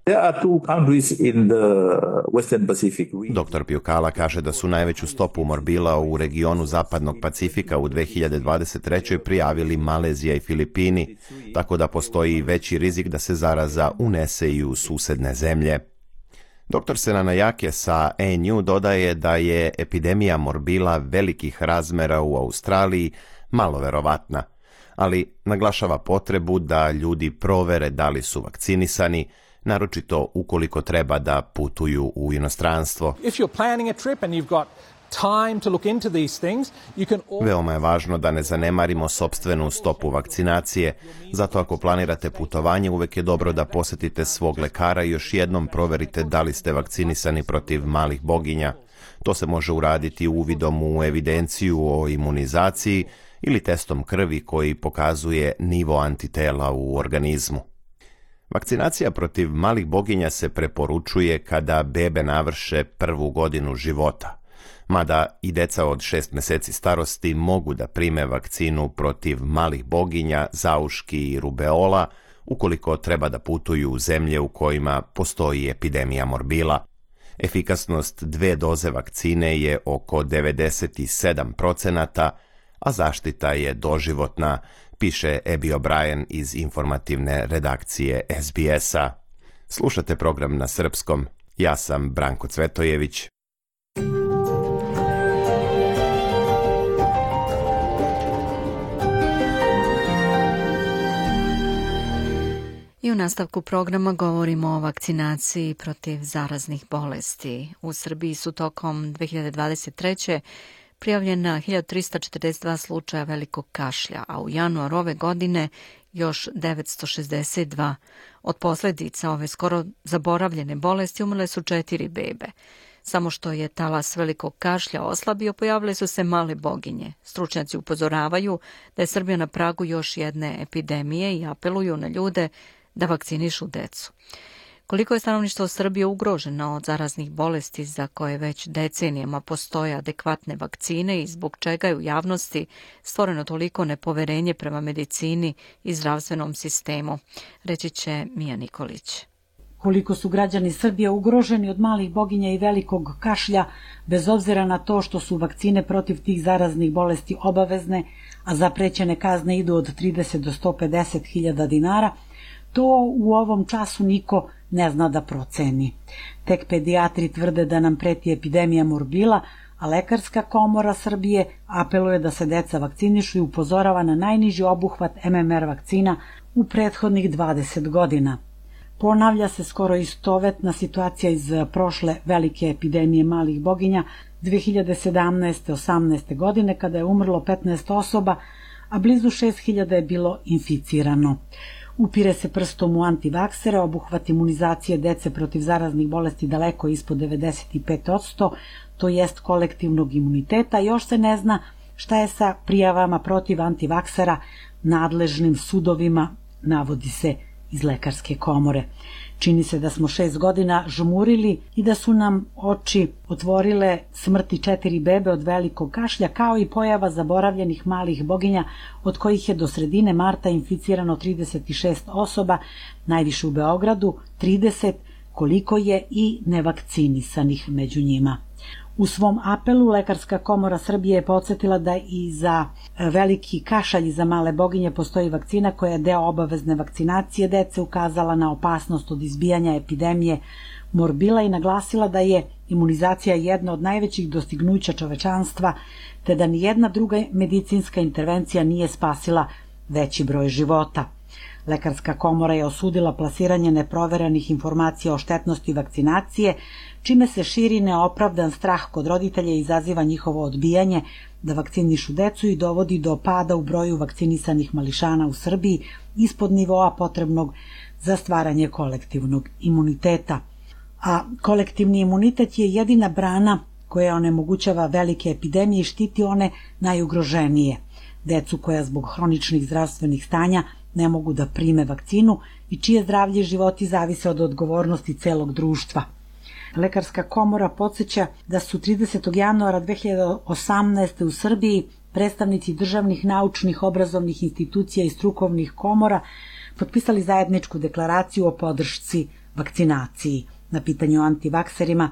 Dr Piukala kaže da su najveću stopu morbila u regionu Zapadnog Pacifika u dve hiljade dvadeset trećoj. prijavili Malezija i Filipini, tako da postoji veći rizik da se zaraza unese i u susedne zemlje. Doktor Senanayake sa A N U dodaje da je epidemija morbila velikih razmera u Australiji malo verovatna, ali naglašava potrebu da ljudi provere da li su vakcinisani, naročito ukoliko treba da putuju u inostranstvo. Veoma je važno da ne zanemarimo sopstvenu stopu vakcinacije, zato ako planirate putovanje, uvek je dobro da posetite svog lekara i još jednom proverite da li ste vakcinisani protiv malih boginja. To se može uraditi uvidom u evidenciju o imunizaciji ili testom krvi koji pokazuje nivo antitela u organizmu. Vakcinacija protiv malih boginja se preporučuje kada bebe navrše prvu godinu života, mada i deca od šest meseci starosti mogu da prime vakcinu protiv malih boginja, zauški i rubeola ukoliko treba da putuju u zemlje u kojima postoji epidemija morbila. Efikasnost dve doze vakcine je oko devedeset sedam procenata, a zaštita je doživotna, piše Abby O'Brien iz informativne redakcije S B S-a. Slušate program na srpskom. Ja sam Branko Cvetojević. I u nastavku programa govorimo o vakcinaciji protiv zaraznih bolesti. U Srbiji su tokom dve hiljade dvadeset treće. prijavljena hiljadu trista četrdeset dva slučaja velikog kašlja, a u januaru ove godine još devetsto šezdeset dva. Od posljedica ove skoro zaboravljene bolesti umrle su četiri bebe. Samo što je talas velikog kašlja oslabio, pojavile su se male boginje. Stručnjaci upozoravaju da je Srbija na pragu još jedne epidemije i apeluju na ljude da vakcinišu decu. Koliko je stanovništvo Srbije ugroženo od zaraznih bolesti za koje već decenijama postoje adekvatne vakcine i zbog čega je u javnosti stvoreno toliko nepoverenje prema medicini i zdravstvenom sistemu, reći će Mija Nikolić. Koliko su građani Srbije ugroženi od malih boginja i velikog kašlja, bez obzira na to što su vakcine protiv tih zaraznih bolesti obavezne, a zaprećene kazne idu od trideset do sto pedeset hiljada dinara, to u ovom času niko ne zna da proceni. Tek pedijatri tvrde da nam preti epidemija morbila, a Lekarska komora Srbije apeluje da se deca vakcinišu i upozorava na najniži obuhvat M M R vakcina u prethodnih dvadeset godina. Ponavlja se skoro istovetna situacija iz prošle velike epidemije malih boginja dve hiljade sedamnaeste osamnaeste godine kada je umrlo petnaest osoba, a blizu šest hiljada je bilo inficirano. Upire se prstom u antivaksere, obuhvat imunizacije dece protiv zaraznih bolesti daleko ispod devedeset pet posto, to jest kolektivnog imuniteta. Još se ne zna šta je sa prijavama protiv antivaksera nadležnim sudovima, navodi se iz Lekarske komore. Čini se da smo šest godina žmurili i da su nam oči otvorile smrti četiri bebe od velikog kašlja, kao i pojava zaboravljenih malih boginja, od kojih je do sredine marta inficirano trideset šest osoba, najviše u Beogradu, trideset, koliko je i nevakcinisanih među njima. U svom apelu Lekarska komora Srbije je podsjetila da i za veliki kašalj i za male boginje postoji vakcina koja je deo obavezne vakcinacije dece, ukazala na opasnost od izbijanja epidemije morbila i naglasila da je imunizacija jedna od najvećih dostignuća čovečanstva, te da nijedna druga medicinska intervencija nije spasila veći broj života. Lekarska komora je osudila plasiranje neproverenih informacija o štetnosti vakcinacije, čime se širi neopravdan strah kod roditelja i izaziva njihovo odbijanje da vakcinišu decu i dovodi do pada u broju vakcinisanih mališana u Srbiji ispod nivoa potrebnog za stvaranje kolektivnog imuniteta. A kolektivni imunitet je jedina brana koja onemogućava velike epidemije i štiti one najugroženije, decu koja zbog hroničnih zdravstvenih stanja ne mogu da prime vakcinu i čije zdravlje i životi zavise od odgovornosti celog društva. Lekarska komora podsjeća da su tridesetog januara dve hiljade osamnaeste. u Srbiji predstavnici državnih, naučnih, obrazovnih institucija i strukovnih komora potpisali zajedničku deklaraciju o podršci vakcinaciji. Na pitanju o antivakserima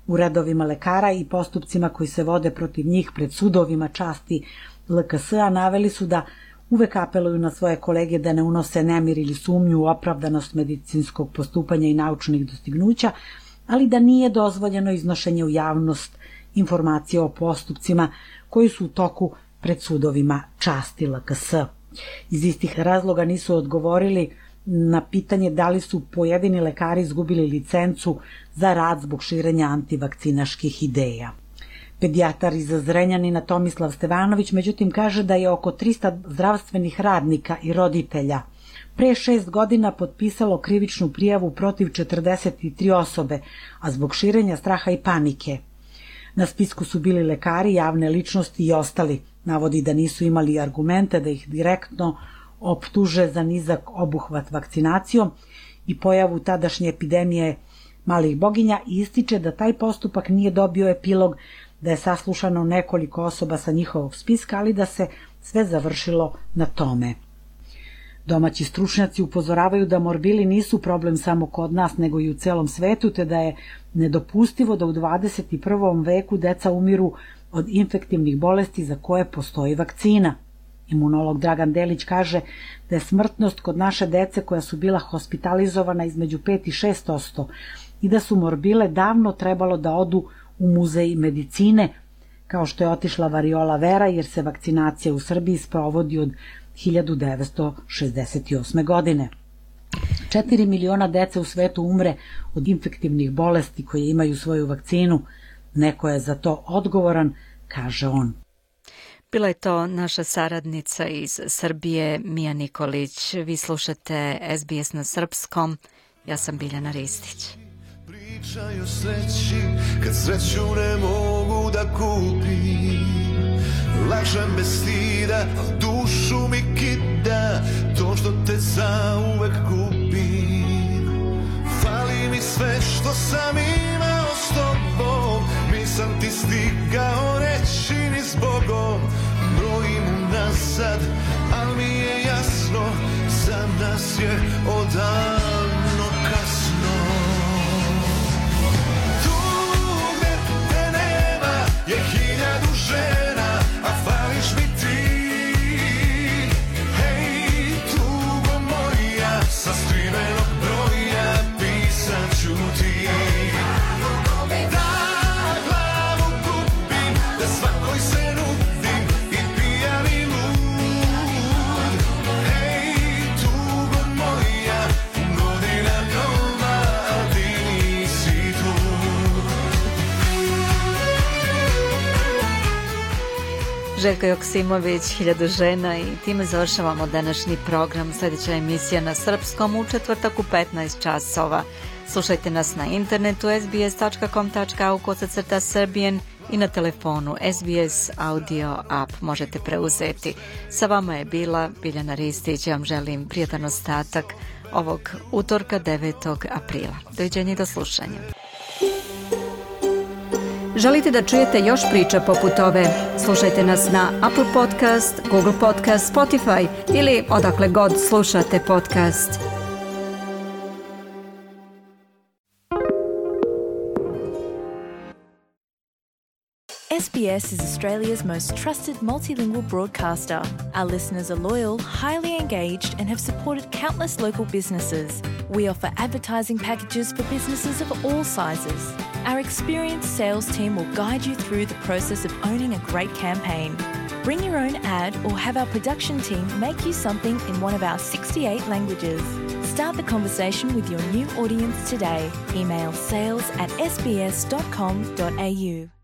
u redovima lekara i postupcima koji se vode protiv njih pred sudovima časti L K S-a naveli su da uvek apeluju na svoje kolege da ne unose nemir ili sumnju u opravdanost medicinskog postupanja i naučnih dostignuća, ali da nije dozvoljeno iznošenje u javnost informacije o postupcima koji su u toku pred sudovima časti L K S. Iz istih razloga nisu odgovorili na pitanje da li su pojedini lekari izgubili licencu za rad zbog širenja antivakcinaških ideja. Pedijatar iz Zrenjanina Tomislav Stevanović međutim kaže da je oko trista zdravstvenih radnika i roditelja pre šest godina potpisalo krivičnu prijavu protiv četrdeset tri osobe, a zbog širenja straha i panike. Na spisku su bili lekari, javne ličnosti i ostali. Navodi da nisu imali argumente da ih direktno optuže za nizak obuhvat vakcinacijom i pojavu tadašnje epidemije malih boginja i ističe da taj postupak nije dobio epilog, da je saslušano nekoliko osoba sa njihovog spiska, ali da se sve završilo na tome. Domaći stručnjaci upozoravaju da morbili nisu problem samo kod nas, nego i u celom svetu, te da je nedopustivo da u dvadeset prvom veku deca umiru od infektivnih bolesti za koje postoji vakcina. Imunolog Dragan Delić kaže da je smrtnost kod naše dece koja su bila hospitalizovana između pet i šest posto i da su morbile davno trebalo da odu u muzej medicine, kao što je otišla variola vera, jer se vakcinacija u Srbiji sprovodi od hiljadu devetsto šezdeset osme. godine. Četiri miliona dece u svetu umre od infektivnih bolesti koje imaju svoju vakcinu. Neko je za to odgovoran, kaže on. Bila je to naša saradnica iz Srbije, Mija Nikolić. Vi slušate S B S na srpskom. Ja sam Biljana Ristić. Pričaju sreći, kad sreću ne mogu da kupim. Lažem bez stida, a dušu mi kida to što te zauvek kupim. Fali sve što sam imao s tobom, nisam ti stigao reći ni zbogom. Brojim unazad, al mi je jasno, za nas je odavno kasno. Tu gde te nema je hiljadu žena, a fališ mi ti. Hej, tugo moja, sa skrivenog broja pisat ću ti. Da glavu kupim, da svakoj se nudim i pijani lud. Hej, tugo moja, godina nova, a ti nisi tu. Željko Joksimović, Hiljadu žena, i time završavamo današnji program. Sljedeća emisija na srpskom u četvrtak u petnaest časova. Slušajte nas na internetu es be es tačka com tačka a u kosacrta Serbian i na telefonu S B S Audio App možete preuzeti. Sa vama je bila Biljana Ristić. Ja vam želim prijatan ostatak ovog utorka devetog aprila. Doviđenja i do slušanja. Želite da čujete još priča poput ove? Slušajte nas na Apple Podcast, Google Podcast, Spotify ili odakle god slušate podcast. S B S is Australia's most trusted multilingual broadcaster. Our listeners are loyal, highly engaged, and have supported countless local businesses. We offer advertising packages for businesses of all sizes. Our experienced sales team will guide you through the process of owning a great campaign. Bring your own ad or have our production team make you something in one of our sixty-eight languages. Start the conversation with your new audience today. Email sales at s b s dot com dot a u.